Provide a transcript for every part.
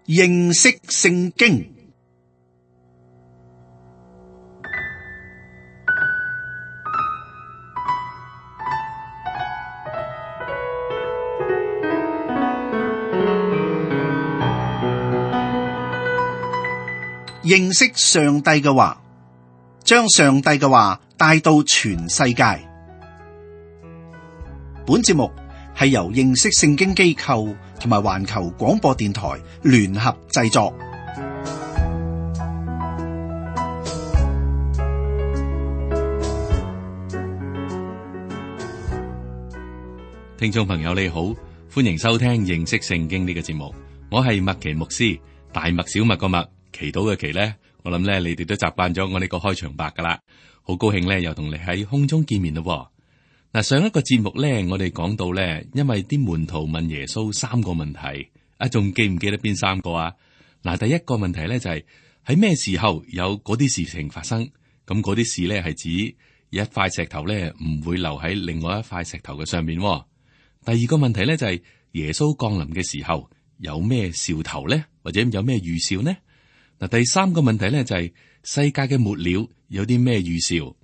認識聖經。認識上帝嘅話，將上帝嘅話帶到全世界。本節目係由認識聖經機構同埋環球廣播電台聯合製作。聽眾朋友你好，歡迎收聽認識聖經呢個節目。我係麥奇牧師，大麥小麥個麥，祈禱嘅祈呢，我諗咧你哋都習慣咗我呢個開場白噶啦。好高興咧又同你喺空中見面咯。嗱，上一個節目咧，我哋講到咧，因為啲門徒問耶穌三個問題，仲記唔記得邊三個啊？嗱，第一個問題咧就係喺咩時候有嗰啲事情發生？咁嗰啲事咧係指一塊石頭咧唔會留喺另外一塊石頭嘅上面。第二個問題咧就係耶穌降臨嘅時候有咩兆頭咧，或者有咩預兆呢？嗱，第三個問題咧就係世界嘅末了有啲咩預兆？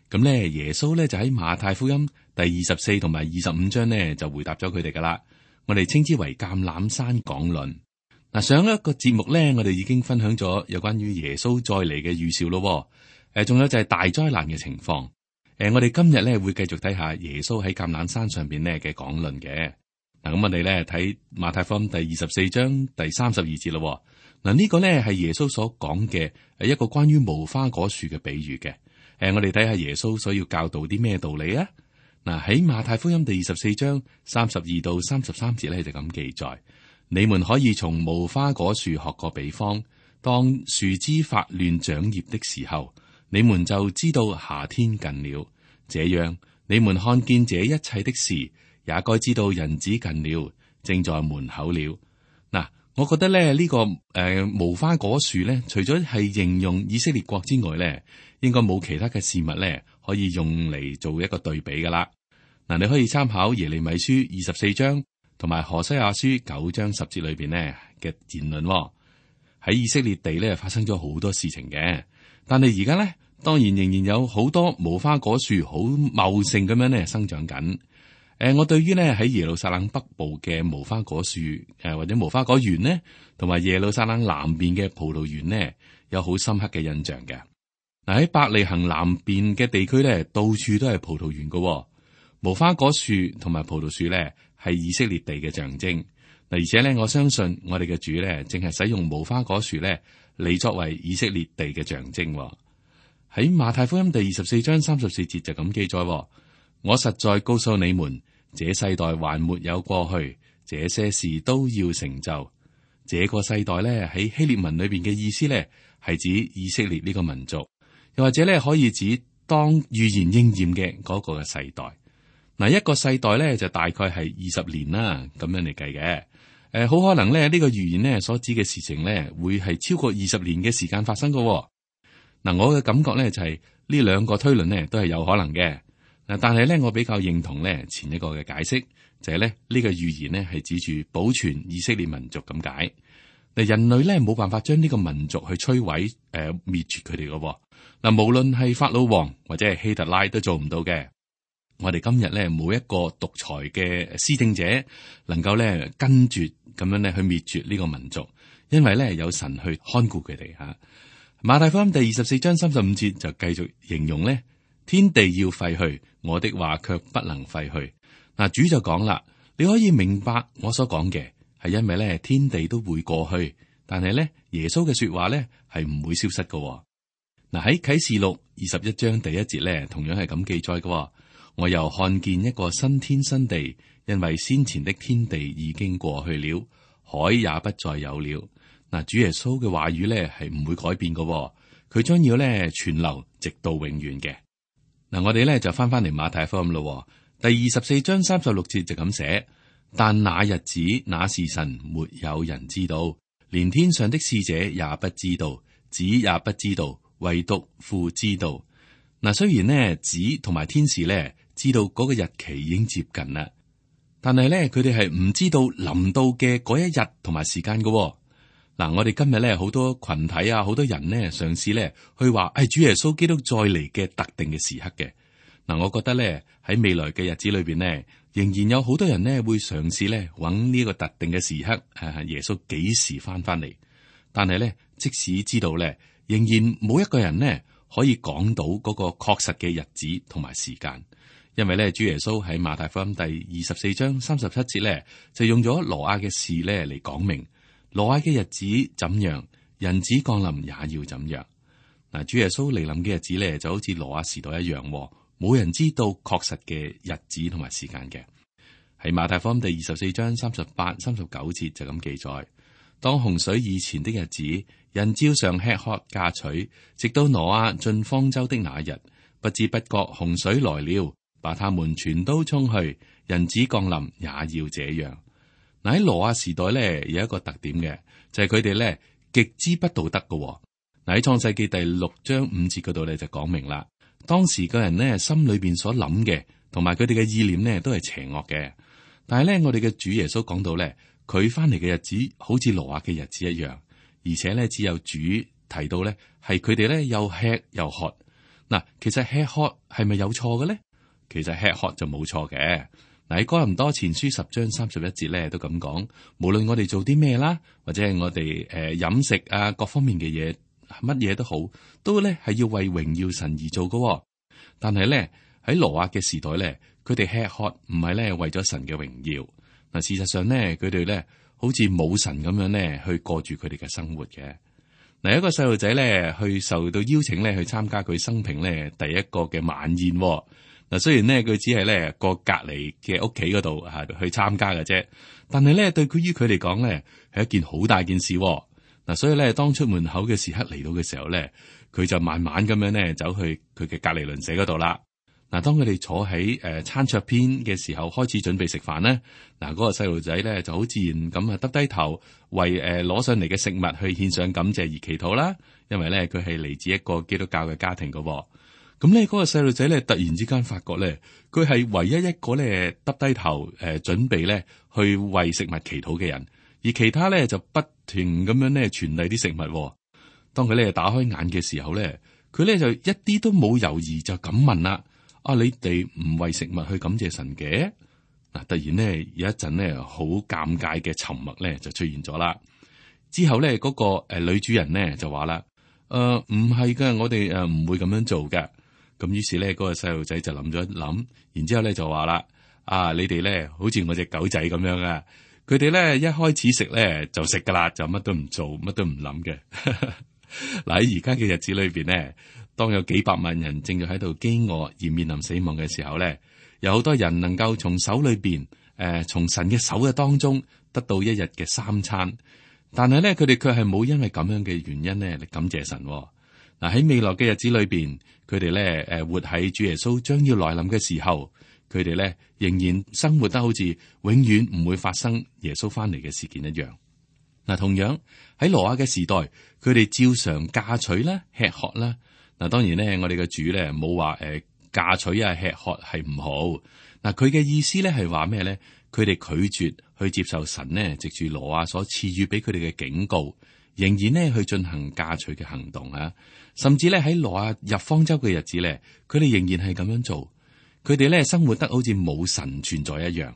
咁咧耶穌咧就喺馬太福音第24同埋25章咧就回答咗佢哋噶啦，我哋稱之為橄欖山講論。嗱，上一個節目咧，我哋已經分享咗有關於耶穌再嚟嘅預兆咯。仲有就係大災難嘅情況。我哋今日咧會繼續睇下耶穌喺橄欖山上邊咧嘅講論嘅。嗱，咁我哋咧睇馬太福音第24章第32節咯。嗱，呢個咧係耶穌所講嘅係一個關於無花果樹嘅比喻嘅。我哋睇下耶穌所要教導啲咩道理啊？嗱，喺馬太福音第24章32到33節咧就咁記載：你們可以從無花果樹學個比方，當樹枝發亂長葉的時候，你們就知道夏天近了。這樣，你們看見這一切的事，也該知道人子近了，正在門口了。嗱，我覺得咧呢個無花果樹咧，除咗係形容以色列國之外咧，應該冇其他嘅事物咧可以用嚟做一個對比噶啦。嗱，你可以參考耶利米書24章同埋何西阿書9章10節裏邊咧嘅言論。喺以色列地咧發生咗好多事情嘅，但係而家咧當然仍然有好多無花果樹好茂盛咁樣咧生長緊。我對於咧喺耶路撒冷北部嘅無花果樹或者無花果園呢，同埋耶路撒冷南邊嘅葡萄園呢，有好深刻嘅印象嘅。嗱，喺伯利恆南邊嘅地區咧，到處都係葡萄園嘅。無花果樹同埋葡萄樹咧係以色列地嘅象徵。嗱，而且咧我相信我哋嘅主咧淨係使用無花果樹咧嚟作為以色列地嘅象徵。喺馬太福音第24章34節就咁記載：我實在告訴你們，這世代還沒有過去，這些事都要成就。這個世代咧喺希臘文裏邊嘅意思咧係指以色列呢個民族。又或者咧，可以指當預言應驗嘅嗰個嘅世代。嗱，一個世代咧就大概係20年啦，咁樣嚟計嘅。好可能咧呢個預言咧所指嘅事情咧會係超過20年嘅時間發生噶。嗱，我嘅感覺咧就係呢兩個推論咧都係有可能嘅。嗱，但係咧我比較認同咧前一個嘅解釋，就係咧呢個預言咧係指住保存以色列民族咁解。嗱，人類咧冇辦法將呢個民族去摧毀滅絕佢哋噶。嗱，無論係法老王或者係希特拉都做唔到嘅。我哋今日咧冇一個獨裁嘅施政者能夠咧跟住咁樣咧去滅絕呢個民族，因為咧有神去看顧佢哋吓。馬太福音第24章35節就繼續形容咧，天地要廢去，我的話卻不能廢去。嗱，主就講啦，你可以明白我所講嘅，係因為咧天地都會過去，但係咧耶穌嘅說話咧係唔會消失噶。嗱，喺啟示錄21章第1節咧，同樣係咁記載嘅。我又看見一個新天新地，因為先前的天地已經過去了，海也不再有了。嗱，主耶穌嘅話語咧係唔會改變嘅，佢將要咧存留直到永遠嘅。嗱，我哋咧就翻嚟馬太福音咯，第24章36節就咁寫：但那日子那時辰，沒有人知道，連天上的使者也不知道，子也不知道，唯獨父知道。嗱，雖然呢子同埋天使咧知道嗰個日期已經接近啦，但係咧佢哋係唔知道臨到嘅嗰一日同埋時間嘅。嗱，我哋今日咧好多群體啊，好多人呢嘗試咧去話係主耶穌基督再嚟嘅特定嘅時刻嘅。嗱，我覺得咧喺未來嘅日子裏邊呢，仍然有好多人呢會嘗試咧揾呢個特定嘅時刻，耶穌幾時翻嚟。但係咧，即使知道咧，仍然冇一個人呢可以講到嗰個確實嘅日子同埋時間，因為咧主耶穌喺馬太福音第24章37節咧就用咗挪亞嘅事咧嚟講明。挪亞嘅日子怎樣，人子降臨也要怎樣。嗱，主耶穌嚟臨嘅日子咧，就好似挪亞時代一樣，冇人知道確實嘅日子同埋時間嘅。喺馬太福音第24章38、39節就咁記載：當洪水以前的日子，人照常吃喝嫁娶，直到挪亞進方舟的那日，不知不覺洪水來了，把他們全都沖去。人子降臨也要這樣。嗱，喺挪亞時代咧有一個特點嘅，就係佢哋咧極之不道德嘅。嗱，喺創世記第6章5節嗰度咧就講明啦，當時個人呢心裏邊所諗嘅同埋佢哋嘅意念呢都係邪惡嘅。但係咧我哋嘅主耶穌講到咧，佢翻嚟嘅日子好似挪亞嘅日子一樣，而且咧只有主提到咧係佢哋咧又吃又喝。嗱，其實吃喝係咪有錯嘅咧？其實吃喝就冇錯嘅。嗱，喺哥林多前書10章31節咧都咁講，無論我哋做啲咩啦，或者係我哋飲食啊各方面嘅嘢，乜嘢都好，都咧係要為榮耀神而做嘅。但係咧喺挪亞嘅時代咧，佢哋吃喝唔係咧為咗神嘅榮耀。嗱，事實上咧佢哋咧好似冇神咁樣咧去過住佢哋嘅生活嘅。嗱，一個細路仔咧去受到邀請咧去參加佢生平咧第一個嘅晚宴。嗱，雖然咧佢只係咧過隔籬嘅屋企嗰度去參加嘅啫，但係咧對於佢嚟講咧係一件好大件事。嗱，所以咧當出門口嘅時刻嚟到嘅時候咧，佢就慢慢咁樣咧走去佢嘅隔籬鄰舍嗰度啦。嗱，當佢哋坐喺餐桌邊嘅時候，開始準備食飯咧，嗱，嗰個細路仔咧就好自然咁啊耷低頭為攞上嚟嘅食物去獻上感謝而祈禱啦。因為咧佢係嚟自一個基督教嘅家庭噶。咁呢嗰個細路仔咧，突然之間發覺咧，佢係唯一一個咧耷低頭準備咧去為食物祈禱嘅人，而其他咧就不停咁樣咧傳遞啲食物。當佢咧打開眼嘅時候咧，佢咧就一啲都冇猶豫就咁問啦：你哋唔為食物去感謝神嘅？嗱，突然咧有一陣咧好尷尬嘅沉默咧就出現咗啦。之後咧嗰個女主人咧就話啦：唔係噶，我哋唔會咁樣做噶。咁於是咧，嗰個細路仔就諗咗一諗，然之後咧就話啦：你哋咧好似我隻狗仔咁樣啊！佢哋咧一開始食咧就食噶啦，就乜都唔做，乜都唔諗嘅。嗱，喺而家嘅日子裏邊咧，當有幾百萬人正在喺度飢餓而面臨死亡嘅時候咧，有好多人能夠從手裏邊從神嘅手嘅當中得到一日嘅3餐，但係咧佢哋卻係冇因為咁樣嘅原因咧嚟感謝神。嗱，喺未來嘅日子裏邊，佢哋咧活喺主耶穌將要來臨嘅時候，佢哋咧仍然生活得好似永遠唔會發生耶穌翻嚟嘅事件一樣。嗱，同樣喺挪亞嘅時代，佢哋照常嫁娶啦、吃喝啦。嗱，當然咧，我哋嘅主咧冇話嫁娶啊、吃喝係唔好。嗱，佢嘅意思咧係話咩咧？佢哋拒絕去接受神呢藉住挪亞所賜予俾佢哋嘅警告，仍然呢去進行嫁娶嘅行動啊。甚至咧喺挪亞入方舟嘅日子咧，佢哋仍然係咁樣做。佢哋咧生活得好似冇神存在一樣。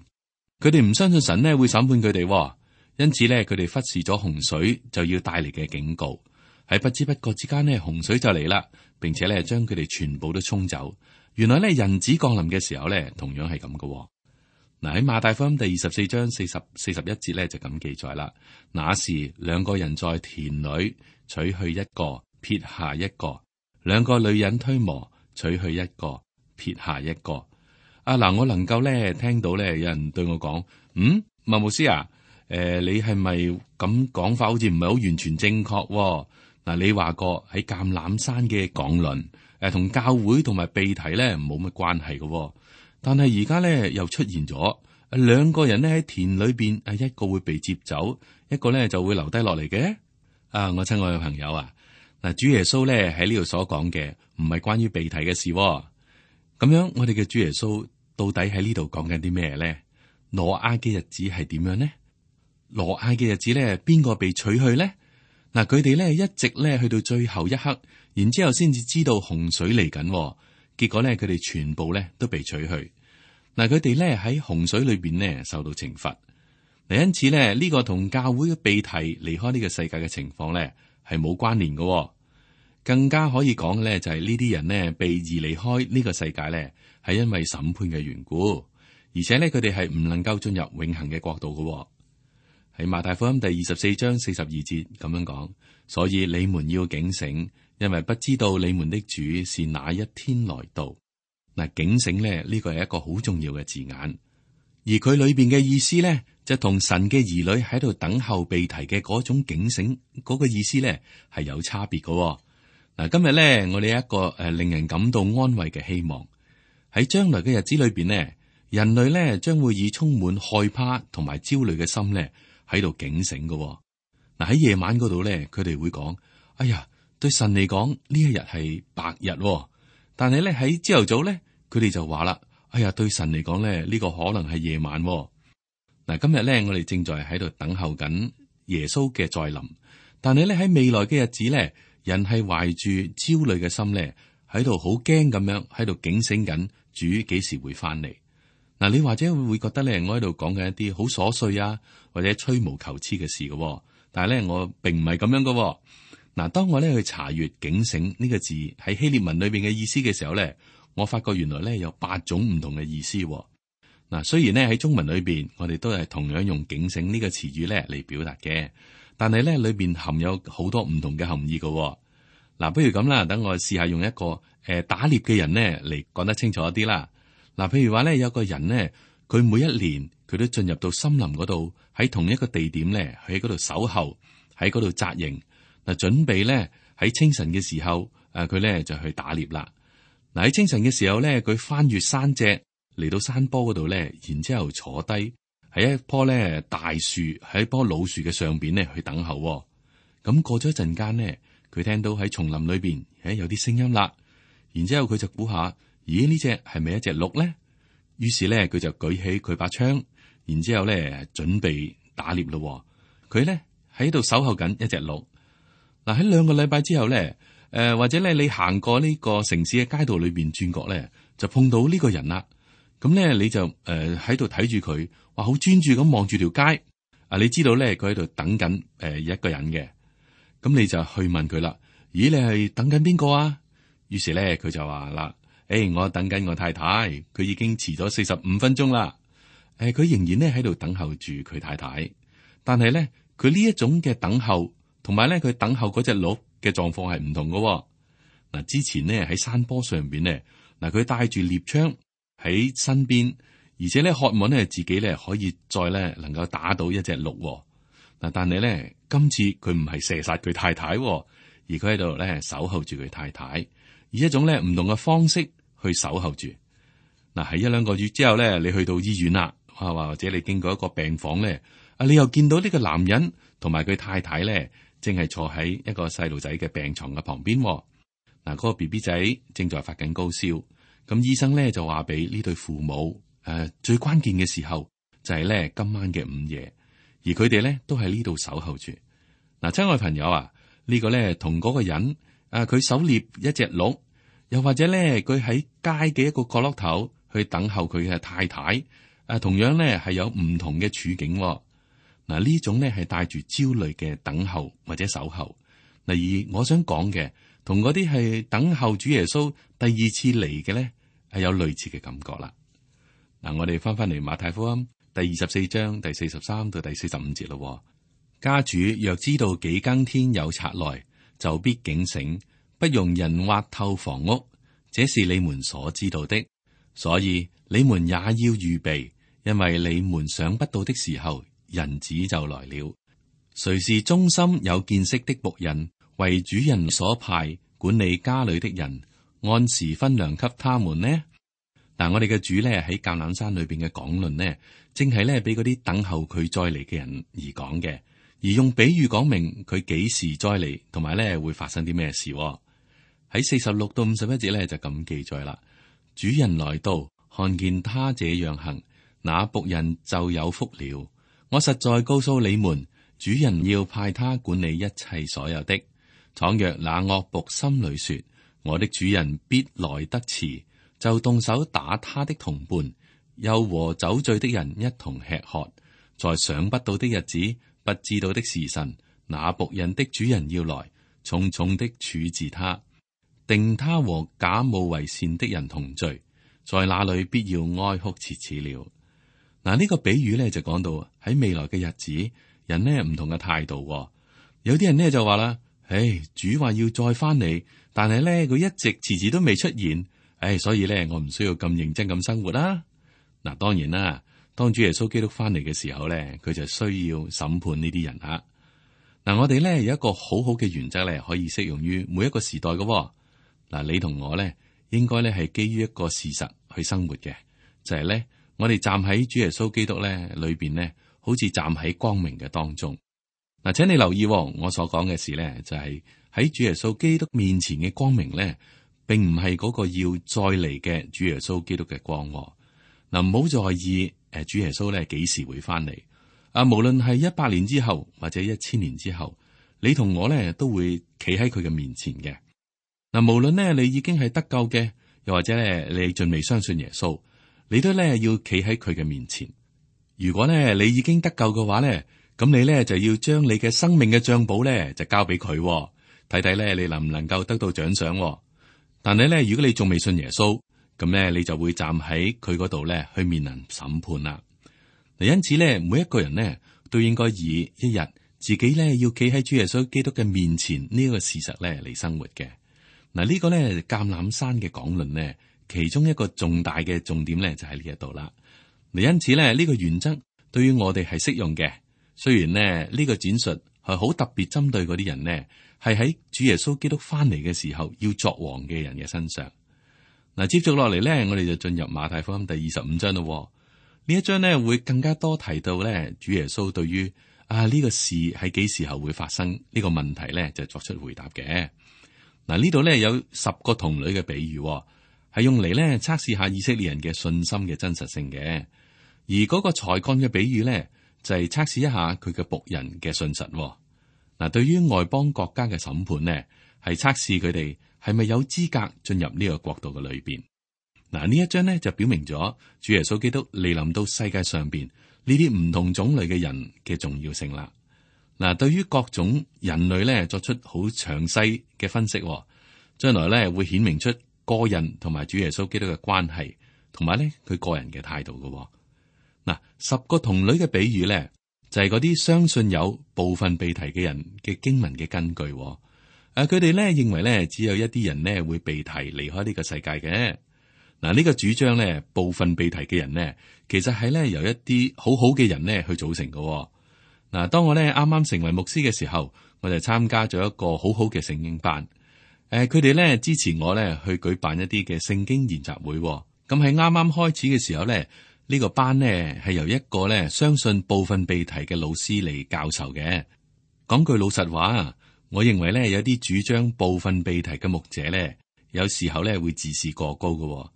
佢哋唔相信神呢會審判佢哋，因此咧佢哋忽視咗洪水就要帶嚟嘅警告。喺不知不覺之間呢，洪水就嚟啦，並且咧將佢哋全部都沖走。原來咧人子降臨嘅時候咧，同樣係咁嘅。嗱，喺馬太福音第24章40、41節咧就咁記載啦。那時2個人在田裏，取去一個，撇下一個；2個女人推磨，取去一個，撇下一個。嗱，我能夠咧聽到咧有人對我講：麥牧師啊，你係咪咁講法好似唔係好完全正確？嗱，你話過喺橄欖山嘅講論，同教會同埋被提咧冇乜關係嘅。但係而家咧又出現咗2個人咧喺田裏邊，一個會被接走，一個咧就會留低落嚟嘅。我親愛嘅朋友啊，嗱，主耶穌咧喺呢度所講嘅唔係關於被提嘅事。咁樣我哋嘅主耶穌到底喺呢度講緊啲咩咧？挪亞嘅日子係點樣呢？挪亞嘅日子咧，邊個被取去咧？嗱，佢哋咧一直咧去到最後一刻，然之後先至知道洪水嚟緊，結果咧佢哋全部咧都被取去。嗱，佢哋咧喺洪水裏邊咧受到懲罰。嗱，因此咧呢個同教會嘅被提離開呢個世界嘅情況咧係冇關聯嘅。更加可以講嘅咧就係呢啲人呢被移離開呢個世界咧係因為審判嘅緣故，而且咧佢哋係唔能夠進入永恆嘅國度嘅。喺馬太福音第24章42節咁樣講，所以你們要警醒，因為不知道你們的主是哪一天來到。嗱，警醒咧呢個係一個好重要嘅字眼，而佢裏邊嘅意思咧就同神嘅兒女喺度等候被提嘅嗰種警醒嗰個意思咧係有差別嘅。嗱，今日咧我哋有一個令人感到安慰嘅希望，喺將來嘅日子裏邊呢，人類咧將會以充滿害怕同埋焦慮嘅心咧喺度警醒嘅。嗱，喺夜晚嗰度咧，佢哋會講：哎呀，對神嚟講呢一日係白日，但係咧喺朝頭早咧，佢哋就話啦：哎呀，對神嚟講咧呢個可能係夜晚。嗱，今日咧我哋正在喺度等候緊耶穌嘅再臨，但係咧喺未來嘅日子咧，人係懷住焦慮嘅心咧喺度好驚咁樣喺度警醒緊主幾時會翻嚟。嗱，你或者會覺得咧，我喺度講緊一啲好瑣碎啊，或者吹毛求疵嘅事嘅，但係咧我並唔係咁樣嘅。嗱，當我咧去查閱警醒呢個字喺希臘文裏邊嘅意思嘅時候咧，我發覺原來咧有8種唔同嘅意思。嗱，雖然咧喺中文裏邊，我哋都係同樣用警醒呢個詞語咧嚟表達嘅，但係咧裏邊含有好多唔同嘅含義嘅。嗱，不如咁啦，等我試下用一個打獵嘅人咧嚟講得清楚一啲啦。嗱，譬如話咧，有個人咧，佢每一年佢都進入到森林嗰度，喺同一個地點咧，喺嗰度守候，喺嗰度紮營，嗱，準備咧喺清晨嘅時候，佢咧就去打獵啦。嗱，喺清晨嘅時候咧，佢翻越山脊嚟到山坡嗰度咧，然之後坐低喺一棵咧大樹，喺一棵老樹嘅上邊咧去等候。咁過咗一陣間咧，佢聽到喺叢林裏邊有啲聲音啦，然之後佢就估下。咦，呢隻係咪一隻鹿咧？於是咧，佢就舉起佢把槍，然之後咧準備打獵咯。佢咧喺度守候緊一隻鹿。嗱，喺2個禮拜之後咧，或者咧你行過呢個城市嘅街道裏邊轉角咧，就碰到呢個人啦。咁咧你就喺度睇住佢，話好專注咁望住條街。你知道咧佢喺度等緊一個人嘅。咁你就去問佢啦。咦，你係等緊邊個啊？於是咧佢就話啦。我等緊我太太，佢已經遲咗45分鐘啦。佢仍然咧喺度等候住佢太太，但係咧佢呢一種嘅等候，同埋咧佢等候嗰隻鹿嘅狀況係唔同嘅。嗱，之前咧喺山坡上邊咧，嗱佢帶住獵槍喺身邊，而且咧渴望咧自己咧可以再咧能夠打到一隻鹿。嗱，但係咧今次佢唔係射殺佢太太，而佢喺度咧守候住佢太太，以一種咧唔同嘅方式。去守候住。嗱，喺1-2個月之後咧，你去到醫院啦，或者你經過一個病房咧，你又見到呢個男人同埋佢太太咧，正係坐喺一個細路仔嘅病床嘅旁邊。嗱，嗰個 BB 仔正在發緊高燒，咁醫生咧就話俾呢對父母，最關鍵嘅時候就係咧今晚嘅午夜，而佢哋咧都喺呢度守候住。嗱，親愛朋友啊，呢個咧同嗰個人，佢狩獵一隻鹿。又或者咧，佢喺街嘅一個角落頭去等候佢嘅太太，同樣咧係有唔同嘅處境。嗱，呢種咧係帶住焦慮嘅等候或者守候。而我想講嘅，同嗰啲係等候主耶穌第2次嚟嘅咧，係有類似嘅感覺啦。嗱，我哋翻嚟馬太福音第24章第43到第45節咯。家主若知道幾更天有賊來，就必警醒。不容人挖透房屋，這是你們所知道的，所以你們也要預備，因為你們想不到的時候，人子就來了。誰是忠心有見識的僕人，為主人所派管理家裏的人，按時分糧給他們呢？嗱，我哋嘅主咧喺橄欖山裏邊嘅講論呢，正係咧俾嗰啲等候佢再嚟嘅人而講嘅，而用比喻講明佢幾時再嚟，同埋咧會發生啲咩事。喺46到51節咧就咁記載啦。主人來到，看見他這樣行，那僕人就有福了。我實在告訴你們，主人要派他管理一切所有的。倘若那惡僕心裏說，我的主人必來得遲，就動手打他的同伴，又和酒醉的人一同吃喝，在想不到的日子，不知道的時辰，那僕人的主人要來，重重的處置他，定他和假冒為善的人同罪，在那裏必要哀哭切齒了。嗱，呢個比喻咧就講到喺未來嘅日子，人呢唔同嘅態度。有啲人呢就話啦，主話要再翻嚟，但係咧佢一直遲遲都未出現，所以咧我唔需要咁認真咁生活啦。嗱，當然啦，當主耶穌基督翻嚟嘅時候咧，佢就需要審判呢啲人啊。嗱，我哋咧有一個好好嘅原則咧，可以適用於每一個時代嘅。嗱，你同我咧應該咧係基於一個事實去生活嘅，就係咧我哋站喺主耶穌基督咧裏邊咧，好似站喺光明嘅當中。嗱，請你留意我所講嘅事咧，就係喺主耶穌基督面前嘅光明咧，並唔係嗰個要再嚟嘅主耶穌基督嘅光。嗱，唔好在意主耶穌咧幾時會翻嚟啊？無論係100年之後或者1000年之後，你同我咧都會企喺佢嘅面前嘅。嗱，無論咧你已經係得救嘅，又或者咧你仲未相信耶穌，你都咧要企喺佢嘅面前。如果咧你已經得救嘅話咧，咁你咧就要將你嘅生命嘅賬簿咧就交俾佢，睇睇咧你能唔能夠得到獎賞。但係咧，如果你仲未信耶穌，咁咧你就會站喺佢嗰度咧去面臨審判啦。嗱，因此咧，每一個人咧都應該以一日自己咧要企喺主耶穌基督嘅面前呢個事實咧嚟生活嘅。嗱，呢個咧橄欖山嘅講論咧，其中一個重大嘅重點咧就喺呢一度啦。嗱，因此咧呢個原則對於我哋係適用嘅。雖然呢，呢個展述係好特別針對嗰啲人呢，係喺主耶穌基督翻嚟嘅時候要作王嘅人嘅身上。嗱，接續落嚟呢，我哋就進入馬太福音第25章咯。呢一章呢會更加多提到呢，主耶穌對於呢個事喺幾時候會發生呢個問題呢，就作出回答嘅。嗱，呢度呢有10個童女嘅比喻，係用嚟呢測試下以色列人嘅信心嘅真實性嘅。而嗰個才幹嘅比喻呢，就係測試一下佢嘅僕人嘅信實。嗱，對於外邦國家嘅審判呢，係測試佢哋係咪有資格進入呢個國度嘅裏邊。嗱，呢一章呢就表明咗主耶穌基督嚟臨到世界上邊呢啲唔同種類嘅人嘅重要性啦。嗱，對於各種人類呢作出好詳細嘅分析，將來呢會顯明出個人同埋主耶穌基督嘅關係，同埋呢佢個人嘅態度嘅。嗱，10個童女嘅比喻咧，就係嗰啲相信有部分被提嘅人嘅經文嘅根據。佢哋咧認為咧，只有一啲人咧會被提離開呢個世界嘅。嗱，呢個主張咧，部分被提嘅人咧，其實係咧由一啲好好嘅人咧去組成嘅。嗱，當我咧啱啱成為牧師嘅時候，我就參加咗一個好好嘅聖經班。佢哋咧支持我咧去舉辦一啲嘅聖經研習會。咁喺啱啱開始嘅時候咧。呢個班呢係由一個咧相信部分被提嘅老師嚟教授嘅。講句老實話，我認為咧有啲主張部分被提嘅牧者咧，有時候咧會自視過高嘅。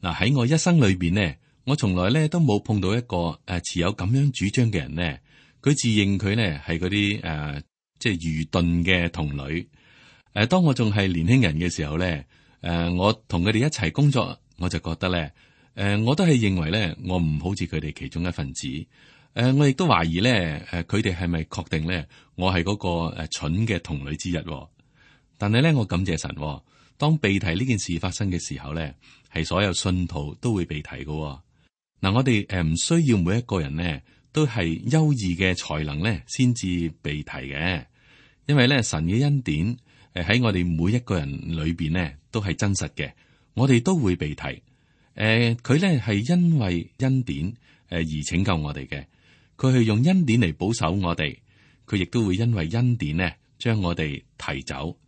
嗱，喺我一生裏邊呢，我從來咧都冇碰到一個持有咁樣主張嘅人呢。佢自認佢呢係嗰啲即係愚鈍嘅童女。當我仲係年輕人嘅時候咧，我同佢哋一齊工作，我就覺得咧。我都係認為咧，我唔好似佢哋其中一份子。我亦都懷疑咧，佢哋係咪確定咧，我係嗰個蠢嘅童女之一。但係咧，我感謝神，當被提呢件事發生嘅時候咧，係所有信徒都會被提嘅。嗱，我哋唔需要每一個人呢都係優異嘅才能咧，先至被提嘅。因為咧，神嘅恩典喺我哋每一個人裏邊呢都係真實嘅，我哋都會被提。佢咧係因為恩典而拯救我哋嘅，佢係用恩典嚟保守我哋，佢亦都會因為恩典呢將我哋提走。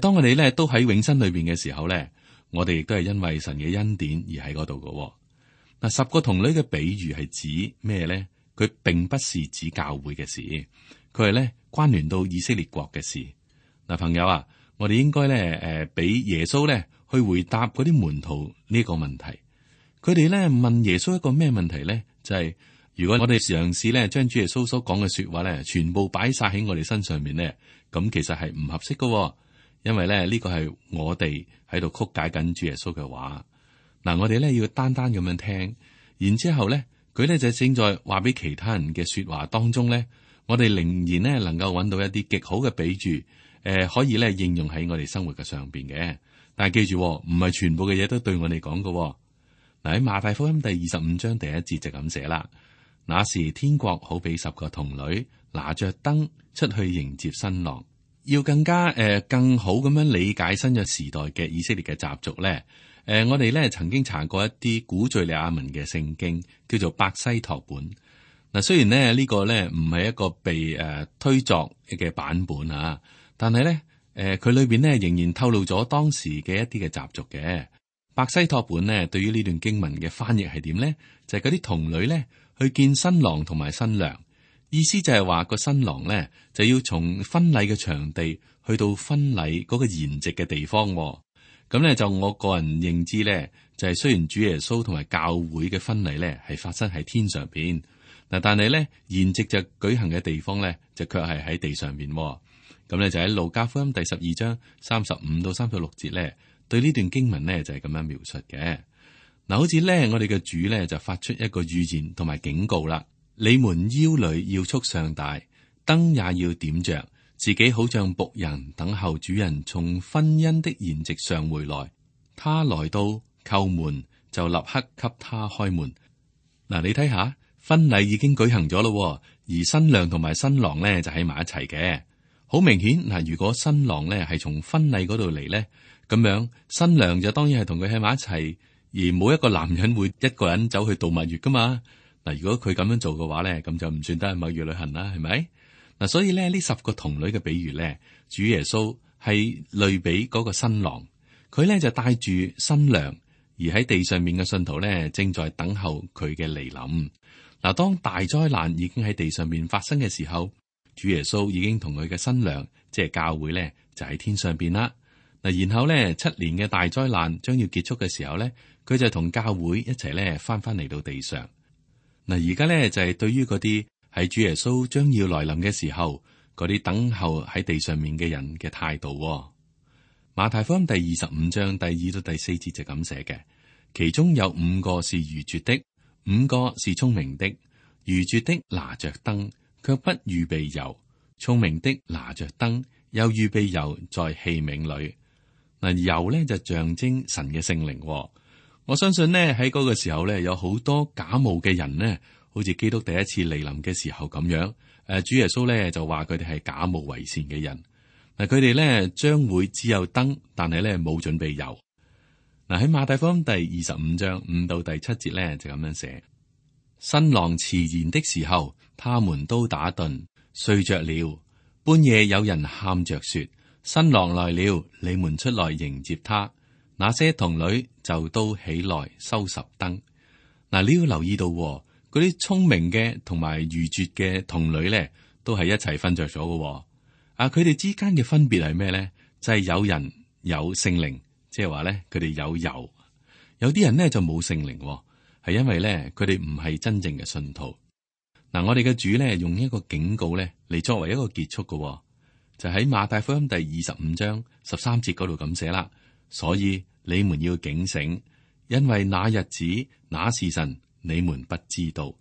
當我哋咧都喺永生裏邊嘅時候咧，我哋亦都係因為神嘅恩典而喺嗰度嘅。嗱，10個童女嘅比喻係指咩咧？佢並不是指教會嘅事，佢係咧關聯到以色列國嘅事。嗱，朋友啊，我哋應該咧俾耶穌咧去回答嗰啲門徒呢個問題。佢哋咧問耶穌一個咩問題咧？就係如果我哋嘗試咧將主耶穌所講嘅說話咧，全部擺晒喺我哋身上面咧，咁其實係唔合適嘅，因為咧呢個係我哋喺度曲解緊主耶穌嘅話。嗱，我哋咧要單單咁樣聽，然之後咧佢咧就正在話俾其他人嘅說話當中咧，我哋仍然咧能夠揾到一啲極好嘅比喻，可以咧應用喺我哋生活嘅上邊嘅。但係記住，唔係全部嘅嘢都對我哋講嘅。嗱，喺馬太福音第25章第1節就咁寫啦。那時天國好比10個童女拿着燈出去迎接新郎。要更加更好咁樣理解新約時代嘅以色列嘅習俗咧，我哋咧曾經查過一啲古敘利亞文嘅聖經，叫做伯西托本。嗱，雖然咧呢個咧唔係一個被推作嘅版本啊，但係咧佢裏邊咧仍然透露咗當時嘅一啲嘅習俗嘅。伯西托本咧對於呢段經文嘅翻譯係點咧？就係嗰啲童女咧去見新郎同埋新娘，意思就係話個新郎咧就要從婚禮嘅場地去到婚禮嗰個筵席嘅地方。咁咧就我個人認知咧，就係雖然主耶穌同埋教會嘅婚禮咧係發生喺天上邊，嗱，但係咧筵席就舉行嘅地方咧就卻係喺地上邊。咁咧就喺路加福音第12章35到36節咧，對呢段經文咧就係咁樣描述嘅。嗱，好似咧我哋嘅主咧就發出一個預言同埋警告啦：你們腰裏要束上帶，燈也要點着，自己好像僕人等候主人從婚姻的筵席上回來。他來到叩門，就立刻給他開門。嗱，你睇下，婚禮已經舉行咗咯，而新娘同埋新郎咧就喺埋一齊嘅。好明顯嗱，如果新郎咧係從婚禮嗰度嚟咧，咁樣新娘就當然係同佢喺埋一齊，而冇一個男人會一個人走去度蜜月噶嘛。嗱，如果佢咁樣做嘅話咧，咁就唔算得係蜜月旅行啦，係咪？嗱，所以咧呢10個童女嘅比喻咧，主耶穌係類比嗰個新郎，佢咧就帶住新娘，而喺地上面嘅信徒咧正在等候佢嘅嚟臨。嗱，當大災難已經喺地上面發生嘅時候，主耶穌已經同佢嘅新娘，即係教會咧，就喺天上邊啦。嗱，然後咧7年嘅大災難將要結束嘅時候咧，佢就同教會一齊咧翻嚟到地上。嗱，而家咧就係對於嗰啲喺主耶穌將要來臨嘅時候，嗰啲等候喺地上面嘅人嘅態度。馬太福音第25章第2到第4節就咁寫嘅，其中有5個是愚拙的，5個是聰明的。愚拙的拿着燈，卻不預備油；聰明的拿着燈，又預備油在器皿裏。嗱，油咧就象徵神嘅聖靈。我相信呢，喺嗰個時候咧，有好多假冒嘅人呢，好似基督第一次嚟臨嘅時候咁樣。主耶穌咧就話佢哋係假冒為善嘅人。嗱，佢哋咧將會只有燈，但係咧冇準備油。嗱，喺馬太福音第25章5到第7節咧就咁樣寫：新郎遲延的時候，他們都打盹睡着了。半夜有人喊着說：新郎來了，你們出來迎接他。那些童女就都起來收拾燈。嗱，你要留意到嗰啲聰明嘅同埋愚拙嘅童女咧，都係一齊瞓着咗嘅。佢哋之間嘅分別係咩咧？就係有人有聖靈，即係話咧佢哋有油；有啲人咧就冇聖靈，係因為咧佢哋唔係真正嘅信徒。嗱，我哋嘅主咧用一個警告咧嚟作為一個結束嘅，就喺馬太福音第25章13節嗰度咁寫啦。所以你們要警醒，因為那日子那時辰你們不知道。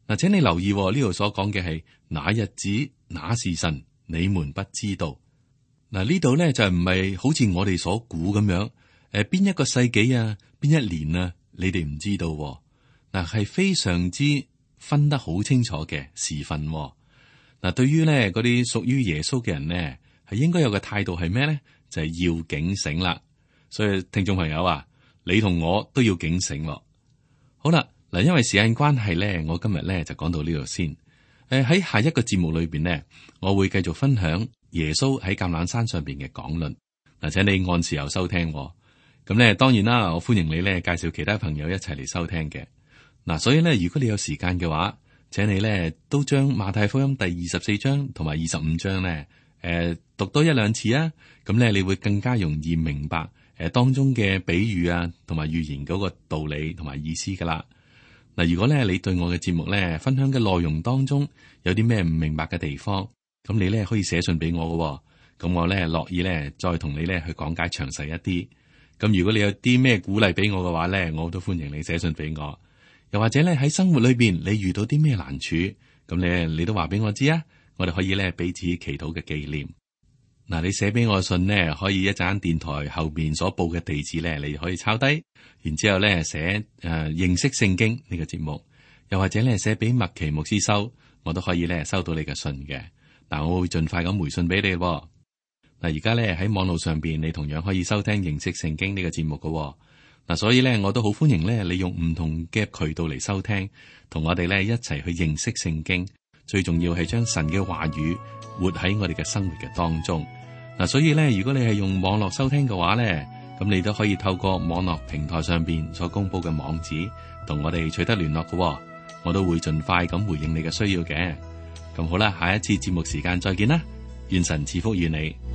嗱，請你留意呢度所講嘅係那日子那時辰你們不知道。嗱，呢度咧就唔係好似我哋所估咁樣，邊一個世紀啊，邊一年啊，你哋唔知道。嗱，係非常之分得好清楚嘅時分。嗱，對於咧嗰啲屬於耶穌嘅人呢，係應該有個態度係咩咧？就係要警醒啦。所以聽眾朋友啊，你同我都要警醒。好啦，嗱，因為時間關係咧，我今日咧就講到呢度先。喺下一個節目裏邊呢，我會繼續分享耶穌喺橄欖山上邊嘅講論。嗱，請你按時候收聽。咁咧，當然啦，我歡迎你咧介紹其他朋友一齊嚟收聽嘅。嗱，所以咧，如果你有時間嘅話，請你咧都將馬太福音第24章同埋25章咧，讀多1-2次啊。咁咧，你會更加容易明白當中嘅比喻啊，同埋預言嗰個道理同埋意思噶啦。嗱，如果咧你對我嘅節目咧分享嘅內容當中有啲咩唔明白嘅地方，咁你咧可以寫信俾我嘅，咁我咧樂意咧再同你咧去講解詳細一啲。咁如果你有啲咩鼓勵俾我嘅話咧，我都歡迎你寫信俾我。又或者咧喺生活裏邊你遇到啲咩難處，咁你都話俾我知啊，我哋可以咧彼此祈禱嘅紀念。嗱，你寫俾我嘅信呢，可以一陣電台後邊所報嘅地址咧，你可以抄低，然之後咧寫認識聖經呢個節目，又或者咧寫俾麥奇牧師收，我都可以咧收到你嘅信嘅。嗱，我會盡快咁回信俾你。嗱，而家咧喺網絡上邊，你同樣可以收聽認識聖經呢個節目嘅。嗱，所以咧我都好歡迎咧，你用唔同嘅渠道嚟收聽，同我哋咧一齊去認識聖經。最重要係將神嘅話語活喺我哋嘅生活嘅當中。嗱，所以咧，如果你係用網絡收聽嘅話咧，咁你都可以透過網絡平台上邊所公布嘅網址，同我哋取得聯絡嘅。我都會盡快咁回應你嘅需要嘅。咁好啦，下一次節目時間再見啦，願神賜福於你。